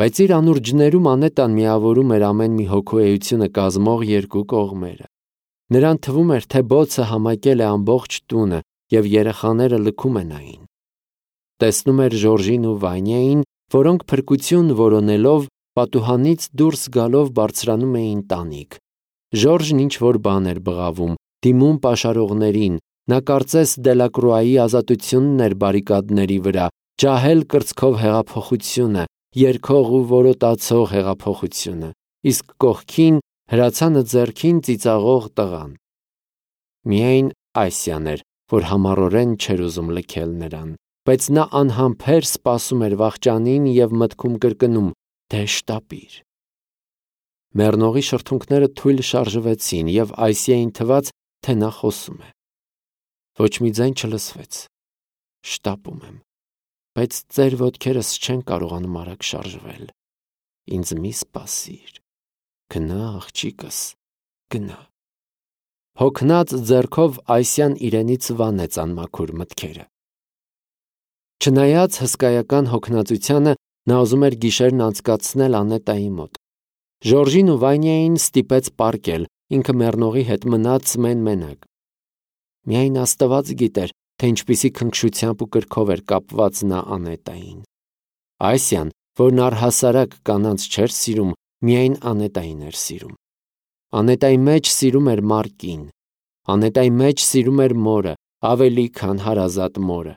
Բայց իր անուրջներում Անետան միավորում էր ամեն մի հոգու էությունը կազմող երկու կողմերը։ Նրան թվում էր, թե բոցը համակել է ամբողջ տունը և երեխաները լքում են այն։ Տեսնում էր Ժորժին ու Վանյային, որոնք փրկություն որոնելով պատուհանից դուրս գալով բարձրանում էին տանիք։ Ժորժն ինչ-որ բան էր բղավում, դիմում պաշարողներին, նա կարծես Դելակրուայի ազատությունն էր բարիկադների վրա, ջահել կրծքով հեղափոխությունը, երգող ու որոտացող հեղափոխությունը, իսկ կողքին հրացանը ձեռքին ծիծաղող տղան։ Միայն Ասիան էր, որ համառորեն չէր ուզում լքել նրան, բայց նա անհամբեր սպասում էր վախճանին և մտքում կրկնում. «Դե շտապիր»։ Մեռնողի շրթունքները թույլ շարժվեցին, և Ասիային թվաց, թե նա խոսում է։ Ոչ մի ձայն չլսվեց։ «Շտապում եմ, բայց ծեր ոտքերս չեն կարողանում արագ շարժվել։ Ինձ մի սպասիր։ Գնա, աղջիկս, գնա»։ Հոգնած ձեռքով Ասիան իրենից վանեց անմաքուր մտքերը։ Չնայած հսկայական հոգնածությանը, նա ուզում էր գիշերն անցկացնել Անետայի մոտ։ Ժորժին ու Վանյային ստիպեց պառկել, ինքը մեռնողի հետ մնաց մեն-մենակ։ Միայն Աստված գիտեր, թե ինչպիսի քնքշությամբ ու կրքով էր կապված նա Անետային։ Ասիան, որն առհասարակ կանանց չէր սիրում, միայն Անետային էր սիրում։ Անետայի մեջ սիրում էր Մարկին։ Անետայի մեջ սիրում էր մորը, ավելի քան հարազատ մորը։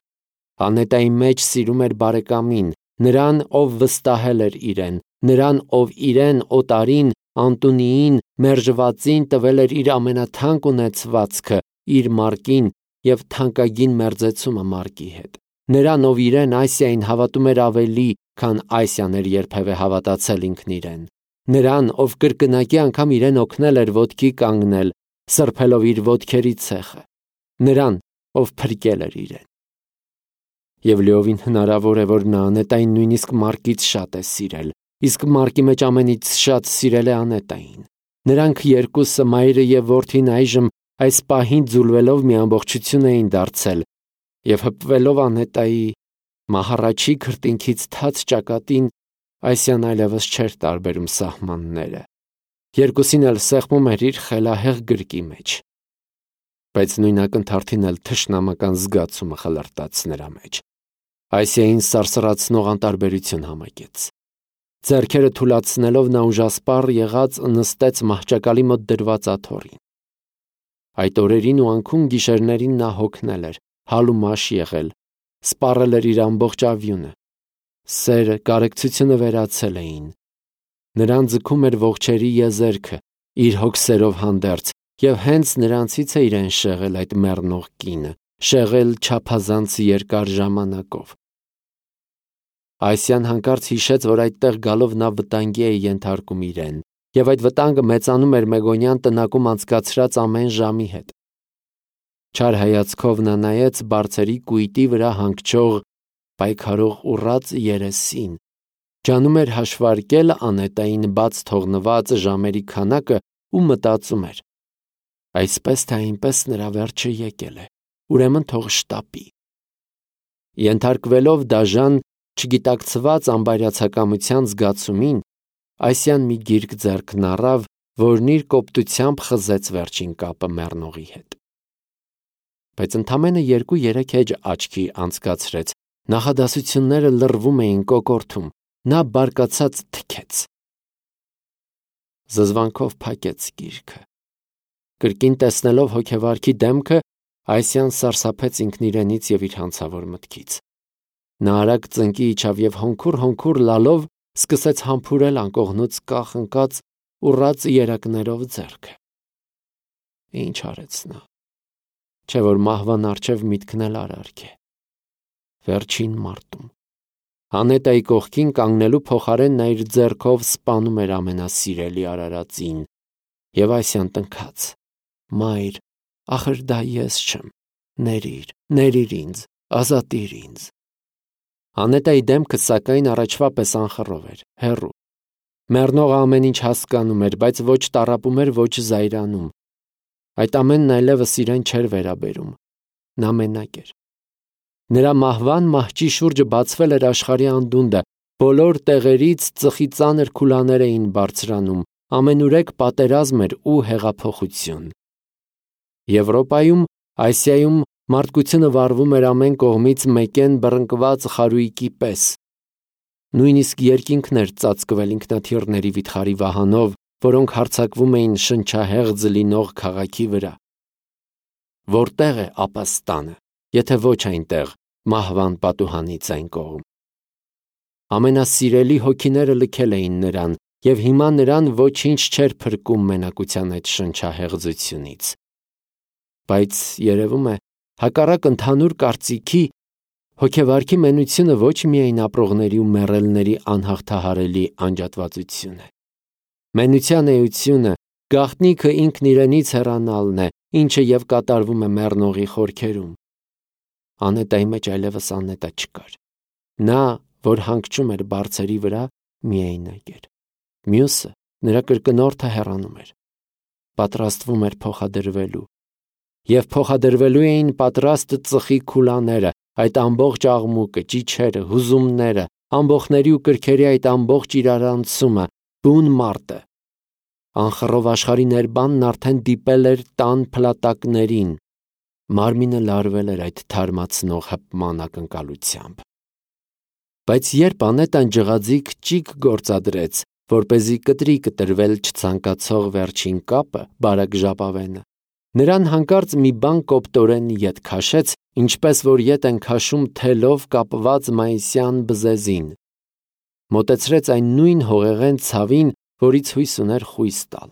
Անետայի մեջ սիրում էր բարեկամին, նրան, ով վստահել էր իրեն, նրան, ով իրեն, օտարին, Անտունիին, մերժվածին տվել էր իր ամենաթանկ ունեցվածքը, իր Մարկին և թանկագին մերձեցումը Մարկի հետ։ Նրան, ով իրեն Ասիային հավատում էր ավելի, քան Ասիան էր երբևէ հավատացել ինքն իրեն։ Նրան, ով կրկնակի անգամ իրեն օգնել էր ոտքի կանգնել, սրբելով իր ոտքերի ցեխը։ Նրան, ով փրկել էր իրեն։ Եվ լիովին հնարավոր է, որ նա Անետային նույնիսկ Մարկից շատ է սիրել, իսկ Մարկի մեջ ամենից շատ սիրել է Անետային։ Նրանք երկուսը, մայրը և որդին, այժմ այս պահին ձուլվելով մի ամբողջություն էին դարձել, և հպվելով Անետայի մահառաչի քրտինքից թաց ճակատին, Ասիան այլևս չէր տարբերում սահմանները։ Երկուսին էլ սեղմում էր իր խելահեղ գրկի մեջ։ Բայց նույն ակնթարթին էլ թշնամական զգացումը խլրտաց նրա մեջ։ Ասիային սարսռացնող անտարբերություն համակեց։ Ձեռքերը թուլացնելով նա ուժասպառ եղած նստեց մահճակալի մոտ դրված աթոռին։ Այդ օրերին ու անքուն գիշերներին նա հոգնել էր, հալ ու մաշ եղել, սպառել էր իր ամբողջ ավյունը։ Սերը, կարեկցությունը վերացել էին։ Նրան ձգում էր ողջերի եզերքը, իր հոգսերով հանդերձ, և հենց նրանցից է իրեն շեղել այդ մեռնող կինը, շեղել չափազանց երկար ժամանակով։ Ասիան հանկարծ հիշեց, որ այդտեղ գալով նա վտանգի է ենթարկում իրեն, և այդ վտանգը մեծանում էր Մեգոնյան տնակում անցկացրած ամեն ժամի հետ։ Չար հայացքով նա նայեց բարձրի կույտի վրա հանգչող պայքարող ուռած երեսին, ջանում էր հաշվարկել Անետային բաց թողնված ժամերի քանակը ու մտածում էր. այսպես թե այնպես նրա վերջը եկել է, ուրեմն թող շտապի։ Ենթարկվելով դաժան, չգիտակցված անբարյացակամության զգացումին, Ասիան մի գիրք ձեռքն առավ, որն իր կոպտությամբ խզեց վերջին կապը մեռնողի հետ։ Բայց ընդամենը 2-3 էջ աչքի անցկացրեց, նախադասությունները լռվում էին կոկորդում, նա բարկացած թքեց։ Զզվանքով փակեց գիրքը։ Կրկին տեսնելով հոգևարքի դեմքը, Ասիան սարսափեց ինքն իրենից և իր հանցավոր մտքից։ Նա արագ ծնկի իջավ և հոնքուր լալով սկսեց համբուրել անկողնուց կախ ընկած ուռած երակներով ձեռքը։ Ինչ արեց նա։ Չէ՞ որ մահվան առջև միտքն էլ արարք է։ Վերջին մարտում Անետայի կողքին կանգնելու փոխարեն նա իր ձեռքով սպանում էր ամենասիրելի արարածին, և Ասիան տնքաց. «Մայր, ախր դա ես չեմ, ներիր ինձ, ազատիր ինձ»։ Անետայի դեմքը, սակայն, առաջվա պես անխռով էր, հեռու։ Մեռնողը ամեն ինչ հասկանում էր, բայց ոչ տառապում էր, ոչ զայրանում։ Այդ ամենն այլևս իրեն չէր վերաբերում։ Նա մենակ էր։ Նրա մահվան մահճի շուրջը բացվել էր աշխարհի անդունդը, Բոլոր տեղերից ծխի ծանր քուլաներ էին բարձրանում, ամենուրեք պատերազմ էր ու հեղափոխություն։ Եվրոպայում, Ասիայում մարդկությունը վառվում էր ամեն կողմից մեկեն բռնկված խարույկի պես։ Նույնիսկ երկինքն էր ծածկվել ինքնաթիռների վիթխարի վահանով, որոնք հարձակվում էին շնչահեղձ լինող քաղաքի վրա։ Որտեղ է ապաստանը, եթե ոչ այնտեղ, մահվան պատուհանից այն կողմ։ Ամենասիրելի հոգիները լքել էին նրան, և հիմա նրան ոչինչ չէր փրկում մենակության այդ շնչահեղձությունից։ Բայց երևում է, հակառակ ընդհանուր կարծիքի, հոգեվարքի մենությունը ոչ միայն ապրողների ու մեռելների անհաղթահարելի անջատվածություն է։ Մենության էությունը, գաղտնիքը ինքն իրենից հեռանալն է, ինչը և կատարվում է մեռնողի խորքերում։ Անետայի մեջ այլևս անետա չկար։ Նա, որ հանգչում էր բարձերի վրա, միայնակ էր։ Մյուսը, նրա կրկնորդը հեռանում էր, պատրաստվում էր փոխադրվելու։ Եվ փոխադրվելու էին պատրաստ ծխի քուլաները, այդ ամբողջ աղմուկը, ճիչերը, հուզումները, ամբոխների ու կրքերի այդ ամբողջ իրարանցումը, բուն մարտը։ Անխռով աշխարհի ներբանն արդեն դիպել էր տան փլատակներին։ Մարմինը լարվել էր այդ թարմացնող հպման ակնկալությամբ։ Բայց երբ Անետան ջղաձիգ ճիգ գործադրեց, որպեսզի կտրի կտրվել չցանկացող վերջին կապը, բարակ ժապավենը, նրան հանկարծ մի բան կոպտորեն ետ քաշեց, ինչպես որ ետ են քաշում թելով կապված մայիսյան բզեզին։ Մոտեցրեց այն նույն հողեղեն ցավին, որից հույս ուներ խույս տալ։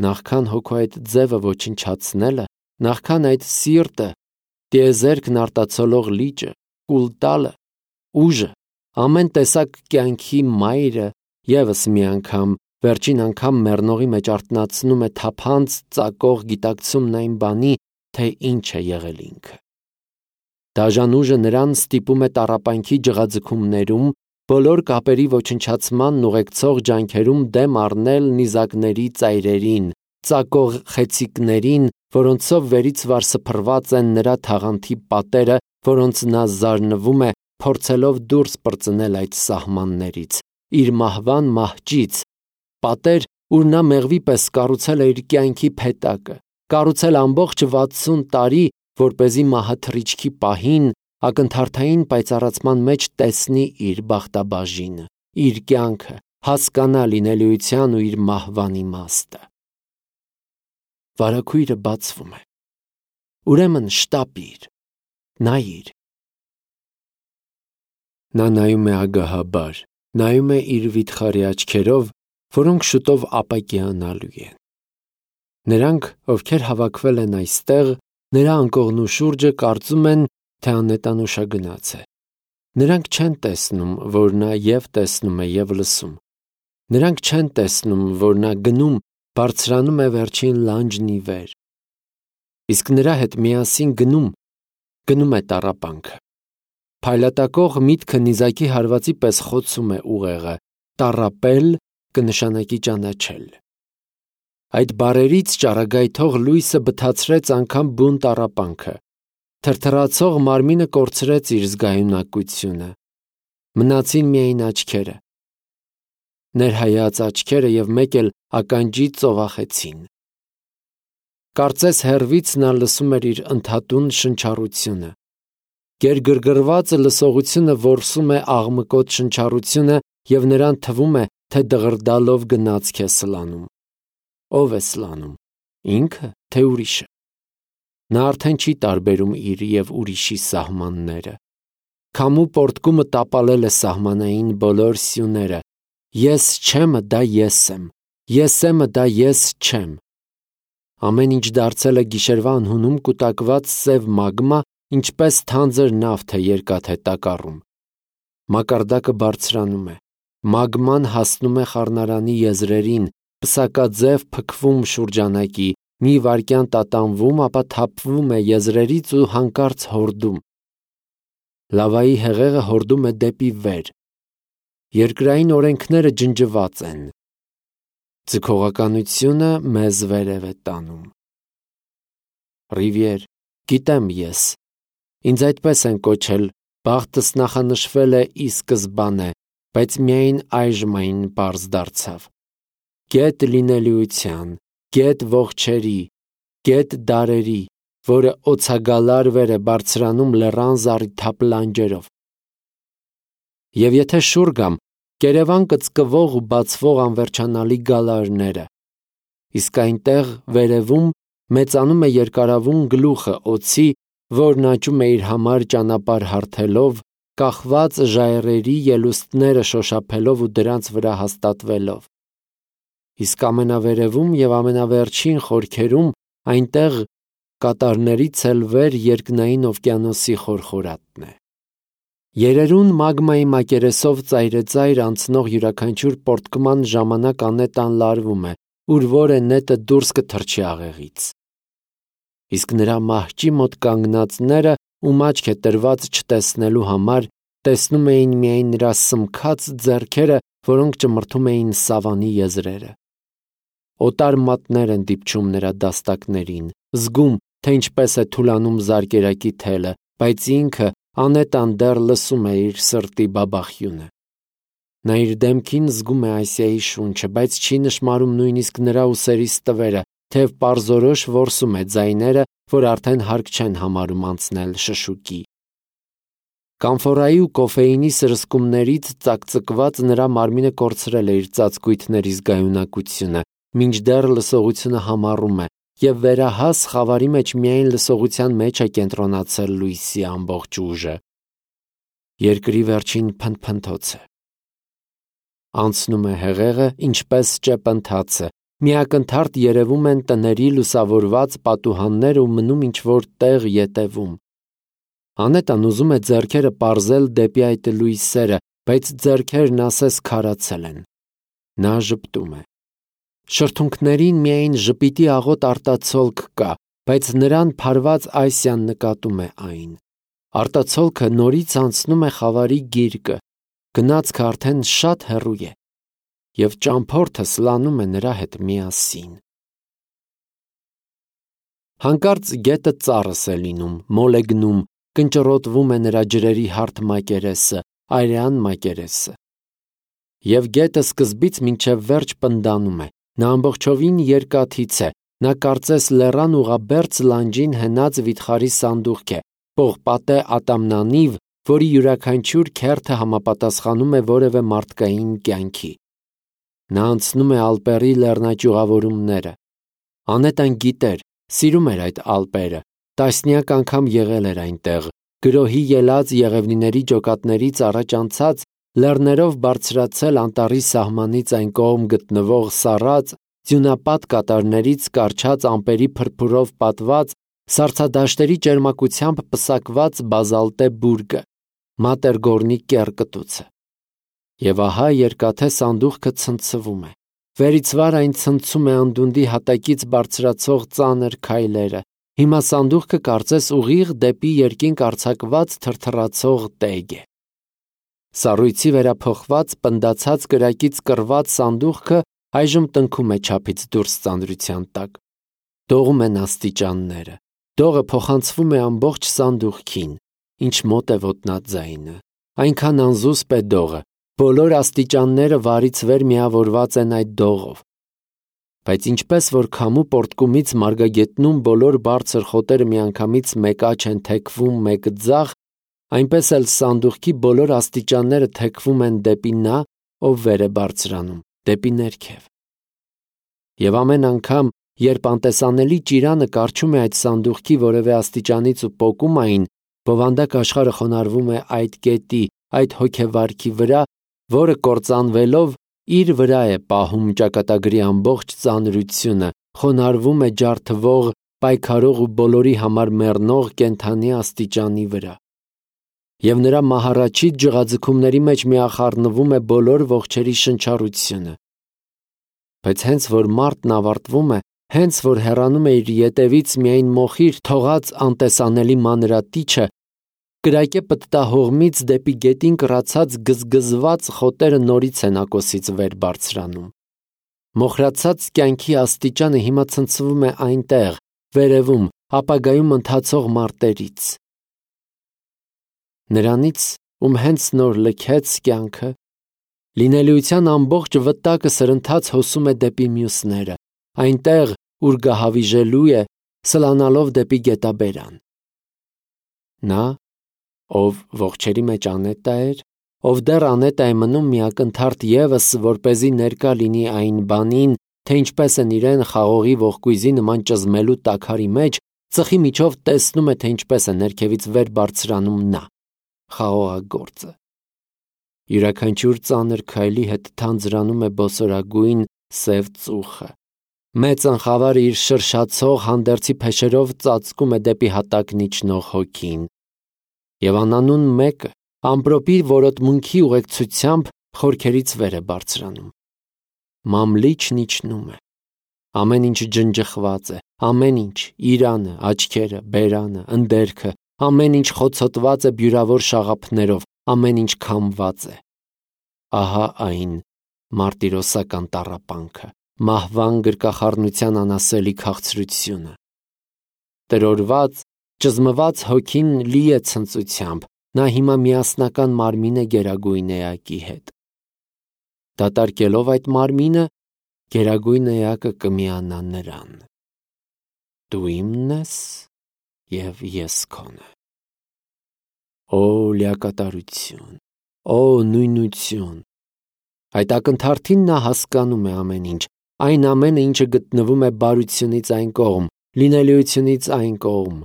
Նախքան հոգու այդ ձևը ոչնչացնելը, նախքան այդ սիրտը, տիեզերքն արտացոլող լիճը, կուլտալը, ուժը, ամեն տեսակ կյանքի մայրը ևս մի անգամ, վերջին անգամ մեռնողի մեջ արթնացնում է թափանց ծակող գիտակցումն այն բանի, թե ինչ է եղել ինքը։ Դաժան ուժը նրան ստիպում է տառապանքի ջղաձգումներում, բոլոր կապերի ոչնչացմանն ուղեկցող ջանքերում դեմ առնել նիզակների ծայրերին, ծակող խեցիկներին, որոնցով վերից վար սփռված են նրա թաղանթի պատերը, որոնց նա զարնվում է, փորձելով դուրս պրծնել այդ սահմաններից, իր մահվան մահճից, պատեր, ուր նա մեղվի պես կառուցել է իր կյանքի փետակը, կառուցել ամբողջ 60 տարի, որպեսզի մահաթռիչքի պահին, ակնթարթային պայծառացման մեջ տեսնի իր բախտաբաժինը, իր կյանքը, հասկանա լինելիության ու իր մահվան իմաստը։ Վարագույրը բացվում է։ Ուրեմն շտապիր, նայիր։ Նա նայում է ագահաբար, նայում է իր վիթխարի աչքերով, որոնք շուտով ապակիանալու են։ Նրանք, ովքեր հավաքվել են այստեղ, նրա անկողնու շուրջը կարծում են, թե Անետան ուշագնաց է։ Նրանք չեն տեսնում, որ նա և տեսնում է, և լսում։ Նրանք չեն տեսնում, որ նա գնում, բարձրանում է վերջին լանջն ի վեր։ Իսկ նրա հետ միասին գնում է տառապանքը։ Փայլատակող միտքը նիզակի հարվածի պես խոցում է ուղեղը, տառապել կնշանակի ճանաչել։ Այդ բառերից ճառագայթող լույսը բթացրեց անգամ բուն տառապանքը, թրթռացող մարմինը կորցրեց իր զգայունակությունը, մնացին միայն աչքերը, ներհայած աչքերը և մեկ էլ ականջի ծովախեցին։ Կարծես հեռվից նա լսում էր իր ընդհատուն շնչառությունը։ Գերգրգռված լսողությունը որսում է աղմկոտ շնչառությունը և նրան թվում է, թե դղրդալով գնացք է սլանում։ Ո՞վ է սլանում, ինքը, թե ուրիշը։ Նա արդեն չի տարբերում իր և ուրիշի սահմանները։ Քամու պոռթկումը տապալել է սահմանային բոլոր սյուները։ Ես չեմը դա ես եմ, ես եմը դա ես չեմ։ Ամեն ինչ դարձել է գիշերվա անհունում կուտակված սև մագմա, ինչպես թանձր նավթ է երկաթե տակառում։ Մակարդակը բարձրանում է, մագման հասնում է խառնարանի եզրերին, պսակաձև փքվում շուրջանակի, մի վայրկյան տատանվում, ապա թափվում է եզրերից ու հանկարծ հորդում։ Լավայի հեղեղը հորդում է դեպի վեր։ Երկրային օրենքները ջնջված են։ Ձգողականությունը մեզ վերև է տանում։ Ռիվիեր, գիտեմ ես, ինձ այդպես են կոչել Բախտս նախանշվել է ի սկզբանե, բայց միայն այժմ այն պարզ դարձավ։ Գետ լինելիության, գետ ողջերի, գետ դարերի, որը օցագալար վեր է բարձրանում լեռան զառիթափ լանջերով։ Եվ եթե շուռ գամ, կերևան կծկվող ու բացվող անվերջանալի գալարները, իսկ այնտեղ վերևում մեծանում է երկարավուն գլուխը օձի, որն աճում է իր համար ճանապարհ հարթելով, կախված ժայռերի ելուստները շոշափելով ու դրանց վրա հաստատվելով։ Իսկ ամենավերևում եւ ամենավերջին խորքերում այնտեղ կատարներից էլ վեր երկնային օվկիանոսի խորխորատն է։ Երերուն մագմայի մակերեսով ծայրեծայր անցնող յուրաքանչյուր պորտկման ժամանակ անետան լարվում է, ուր որ է նետը դուրս կթռչի աղեղից։ Իսկ նրա մահճի մոտ կանգնածները, ում աչք է տրված չտեսնելու համար, տեսնում էին միայն նրա սմքած ձեռքերը, որոնք ճմրթում էին սավանի եզրերը։ Օտար մատներ են դիպչում նրա դաստակներին, զգում, թե ինչպես է թուլանում զարկերակի թելը, բայց ինքը անետան դեռ լսում է իր սրտի բաբախյունը։ Նա իր դեմքին զգում է Ասիայի շունչը, բայց չի նշմարում նույնիսկ նրա ուսերի ստվերը, թեև պարզորոշ որսում է ձայները, որ արդեն հարկ չեն համարում անցնել շշուկի։ Կամֆորայի ու կոֆեինի սրսկումներից ծակծկված նրա մարմինը կորցրել է իր ծածկույթների զգայունակությունը, մինչդեռ լսողությունը համառում է, և վերահաս խավարի մեջ միայն լսողության մեջ է կենտրոնացել լույսի ամբողջ ուժը։ Երկրի վերջին փնթփնթոցը անցնում է հեղեղը, ինչպես ճեպընթացը, միակնթարթ երևում են տների լուսավորված պատուհաններ ու մնում ինչ-որ տեղ ետևում։ Անետան ուզում է ձեռքերը պարզել դեպի այդ լույսերը, բայց ձեռքերն ասես քարացել են։ Նա ժպտում է։ Շրթունքներին միայն ժպիտի աղոտ արտացոլք կա, բայց նրան փարված Ասիան նկատում է այն։ Արտացոլքը նորից անցնում է խավարի գիրկը, գնացքը արդեն շատ հեռու է, և ճամփորդը սլանում է նրա հետ միասին։ Հանկարծ գետը ծառս է լինում, մոլ է գնում, կնճռոտվում է նրա ջրերի հարթ մակերեսը, արյան մակերեսը։ Եվ գետը սկզբից մինչև վերջ պնդանում է, նա ամբողջովին երկաթից է, նա կարծես լեռան ուղղաբերձ լանջին հենած վիթխարի սանդուղք է, պողպատե ատամնանիվ, որի յուրաքանչյուր քերթը համապատասխանում է որևէ մարդկային կյանքի։ Նա անցնում է Ալպերի լեռնաճյուղավորումները։ Անետան գիտեր, սիրում էր այդ Ալպերը, տասնյակ անգամ եղել էր այնտեղ, գրոհի ելած եղևնիների ջոկատներից առաջ անցած, լեռներով բարձրացել անտառի սահմանից այն կողմ գտնվող սառած, ձյունապատ կատարներից կառչած ամպերի փրփուրով պատված, սառցադաշտերի ճերմակությամբ պսակված բազալտե բուրգը, մատերգորնի կեռկտուցը։ Եվ ահա երկաթե սանդուղքը ցնցվում է։ Վերից վար այն ցնցում է անդունդի հատակից բարձրացող ծանր քայլերը։ Հիմա սանդուղքը կարծես ուղիղ դեպի երկինք արձակված թրթռացող տեգ է։ Սառույցի վերափոխված, պնդացած կրակից կռված սանդուղքը այժմ տնքում է չափից դուրս ծանրության տակ։ Դողում են աստիճանները։ Դողը փոխանցվում է ամբողջ սանդուղքին, ինչ մոտ է ոտնաձայնը։ Այնքան անզուսպ է դողը, բոլոր աստիճանները վարից վեր միավորված են այդ դողով։ Բայց ինչպես որ քամու պոռթկումից մարգագետնում բոլոր բարձր խոտերը միանգամից մեկ աջ են թեքվում մեկ ձախ, այնպես էլ սանդուղքի բոլոր աստիճանները թեքվում են դեպի նա, ով վեր է բարձրանում, դեպի ներքև։ Եվ ամեն անգամ, երբ անտեսանելի ճիրանը կառչում է այդ սանդուղքի որևէ աստիճանից ու պոկում այն, բովանդակ աշխարհը խոնարհվում է այդ կետի, այդ հոգեվարքի վրա, որը կործանվելով իր վրա է պահում ճակատագրի ամբողջ ծանրությունը, խոնարհվում է ջարդվող, պայքարող ու բոլորի համար մեռնող կենդանի աստիճանի վրա։ Եվ նրա մահառաչի ջղաձգումների մեջ միախառնվում է բոլոր ողջերի շնչառությունը։ Բայց հենց որ մարտն ավարտվում է, հենց որ հեռանում է իր ետևից միայն մոխիր թողած անտեսանելի մանրատիչը, կրակե պտտահողմից դեպի գետին կռացած գզգզված խոտերը նորից են ակոսից վեր բարձրանում։ Մոխրացած կյանքի աստիճանը հիմա ցնցվում է այնտեղ, վերևում, ապագայում ընթացող մարտերից։ Նրանից, ում հենց նոր լքեց կյանքը, լինելիության ամբողջ վտակը սրընթաց հոսում է դեպի մյուսները, այնտեղ, ուր գահավիժելու է, սլանալով դեպի գետաբերան։ Նա, ով ողջերի մեջ անետա էր, ով դեռ անետա է մնում մի ակնթարթ ևս, որպեսզի ներկա լինի այն բանին, թե ինչպես են իրեն խաղողի ողկույզի նման ճզմելու տաքարի մեջ, ծխի միջով տեսնում է, թե ինչպես է ներքևից վեր բարձրանում նա, խաղողագործը։ Յուրաքանչյուր ծանր քայլի հետ թանձրանում է բոսորագույն սև ծուխը։ Մեծ ընխավարը իր շրշացող հանդերձի փեշերով ծածկում է դեպի հատակն իջնող հոգին։ Եվ անանուն մեկը ամպրոպի որոտմունքի ուղեկցությամբ խորքերից վեր է բարձրանում։ Մամլիչն իջնում է։ Ամեն ինչ ջնջխված է, ամեն ինչ՝ իրանը, աչքերը, բերանը, ընդերքը, ամեն ինչ խոցոտված է բյուրավոր շաղափներով, ամեն ինչ քամված է։ Ահա այն մարտիրոսական տառապանքը, մահվան գրկախառնության անասելի քաղցրությունը։ Տրորված, ճզմված հոգին լի է ցնծությամբ, նա հիմա միասնական մարմին է գերագույն էակի հետ։ Դատարկելով այդ մարմինը, գերագույն էակը կմիանա նրան։ Դու իմն ես, և ես քոնը։ Օ լիակատարություն, օ նույնություն։ Այդ ակնթարթին նա հասկանում է ամեն ինչ, այն ամենը, ինչը գտնվում է բարությունից այն կողմ, լինելիությունից այն կողմ։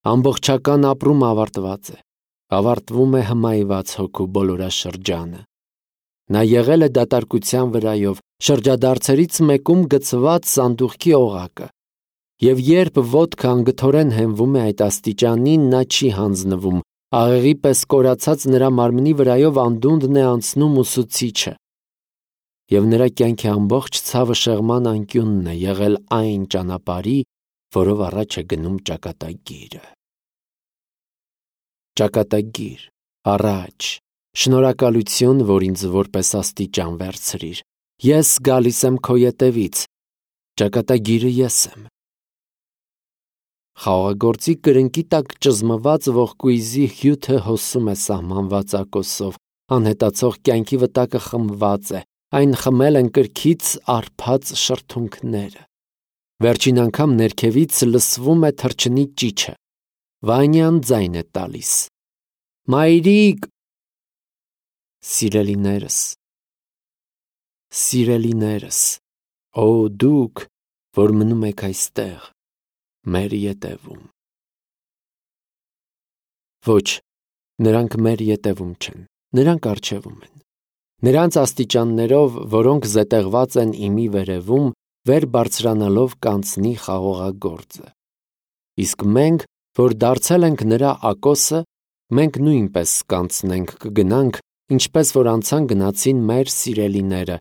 Ամբողջական ապրումը ավարտված է, ավարտվում է հմայված հոգու բոլորաշրջանը։ Նա եղել է դատարկության վրայով, շրջադարձերից մեկում գցված սանդուղքի օղակը, և երբ ոտքը անգթորեն հենվում է այդ աստիճանին, նա չի հանձնվում, աղեղի պես կորացած նրա մարմնի վրայով անդունդն է անցնում ուսուցիչը, և նրա կյանքի ամբողջ ցավը շեղման անկյունն է եղել այն ճանապարհի, որով առաջ է գնում ճակատագիրը։ Ճակատագիր, առաջ, շնորհակալություն, որ ինձ որպես աստիճան վերցրիր, ես գալիս եմ քո ետևից, ճակատագիրը ես եմ։ Խաղողագործի կրնկի տակ ճզմված ողկույզի հյութը հոսում է սահմանված ակոսով, անհետացող կյանքի վտակը խմված է, այն խմել են կրքից արփած շրթունքները։ Վերջին անգամ ներքևից լսվում է թռչնի ճիչը։ Վանյան ձայն է տալիս. Մայրիկ, սիրելիներս, սիրելիներս, օ դուք, որ մնում եք այստեղ, մեր ետևում։ Ոչ, նրանք մեր ետևում չեն, նրանք առջևում են։ Նրանց աստիճաններով, որոնք զետեղված են իմի վերևում, վեր բարձրանալով կանցնի խաղողագործը։ Իսկ մենք, որ դարձել ենք նրա ակոսը, մենք նույնպես կանցնենք, կգնանք, ինչպես որ անցան գնացին մեր սիրելիները,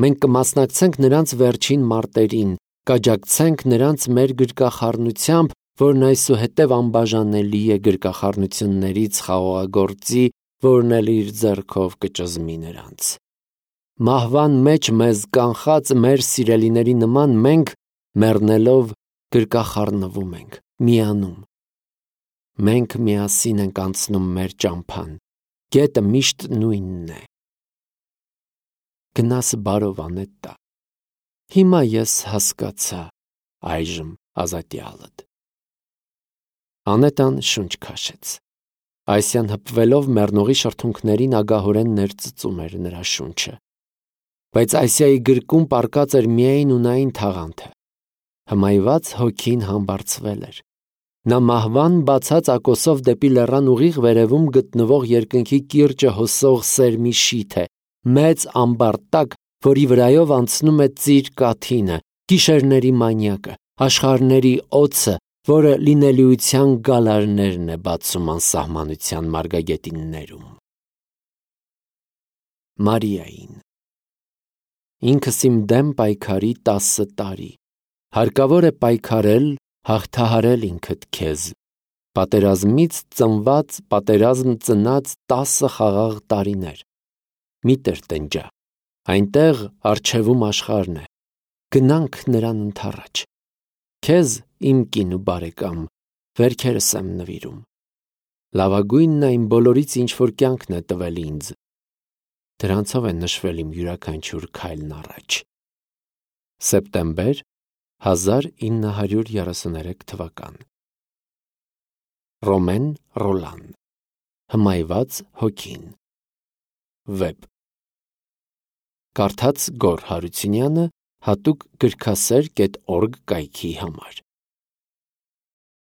մենք կմասնակցենք նրանց վերջին մարտերին, կաջակցենք նրանց մեր գրկախառնությամբ, որն այսուհետև անբաժանելի է գրկախառնություններից խաղողագործի, որն էլ իր ձեռքով կճզմի նրանց։ Մահվան մեջ մեզ կանխած մեր սիրելիների նման մենք, մեռնելով, գրկախառնվում ենք, միանում։ Մենք միասին ենք անցնում մեր ճամփան, գետը միշտ նույնն է։ Գնաս բարով անետա։ Հիմա ես հասկացա այժմ ազատյալդ։ Անետան շունչ քաշեց։ Այսյան հպվելով մեռնողի շրթունքներին ագահորեն ներծծում էր նրա շունչը։ Բայց Այսիայի գրկում պառկած էր միայն ունային թաղանթը։ Հմայված հոգին համբարձվել էր։ Նա մահվան բացած ակոսով դեպի լեռան ուղիղ վերևում գտնվող երկնքի կիրճը հոսող սերմի շիթ է, մեծ ամբար տակ, որի վրայով անցնում է ծիր կաթինը, գիշերների մանյակը, աշխարհների օձը, որը լինելիության գալարներն է բացում անսահմանության մարգագետիններում։ Մարիային։ Ինքս իմ դեմ պայքարի 10 տարի, հարկավոր է պայքարել, հաղթահարել ինքդ քեզ, պատերազմից ծնված, պատերազմ ծնած 10 խաղաղ տարիներ, մի տրտնջա, այնտեղ առջևում աշխարհն է, գնանք նրան ընդառաջ, քեզ իմ կին ու բարեկամ, վերքերս եմ նվիրում, Լավագույնն այն բոլորից, ինչ որ կյանքն է տվել ինձ։ Դրանցով է նշվել իմ յուրաքանչյուր քայլն առաջ։ Սեպտեմբեր 1933 թվական։ Ռոմեն Ռոլան Հմայված հոգին Վեբ Կարդաց Գոռ Հարությունյանը հատուկ գրքասեր.org կայքի համար